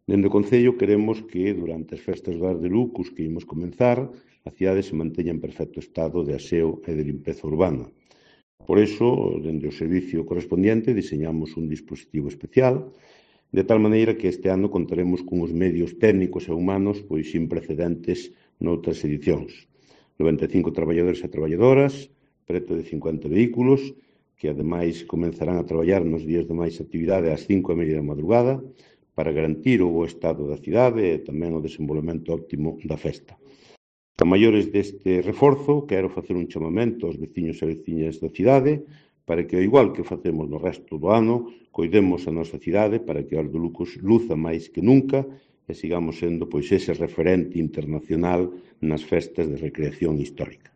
Dende o Concello queremos que, durante as festas do Ar de Lucus que imos comenzar, a cidade se manteña en perfecto estado de aseo e de limpeza urbana. Por iso, dende o servicio correspondiente, diseñamos un dispositivo especial, de tal maneira que este ano contaremos cunhos medios técnicos e humanos pois sin precedentes noutras edicións. 95 traballadores e traballadoras, preto de 50 vehículos, que ademais comenzarán a traballar nos días de máis actividade ás 5:30 da madrugada para garantir o bo estado da cidade e tamén o desenvolvemento óptimo da festa. A maiores deste reforzo, quero facer un chamamento aos veciños e veciñas da cidade para que, ao igual que facemos no resto do ano, coidemos a nosa cidade para que o Ar de Lucus luza máis que nunca e sigamos sendo pois ese referente internacional nas festas de recreación histórica.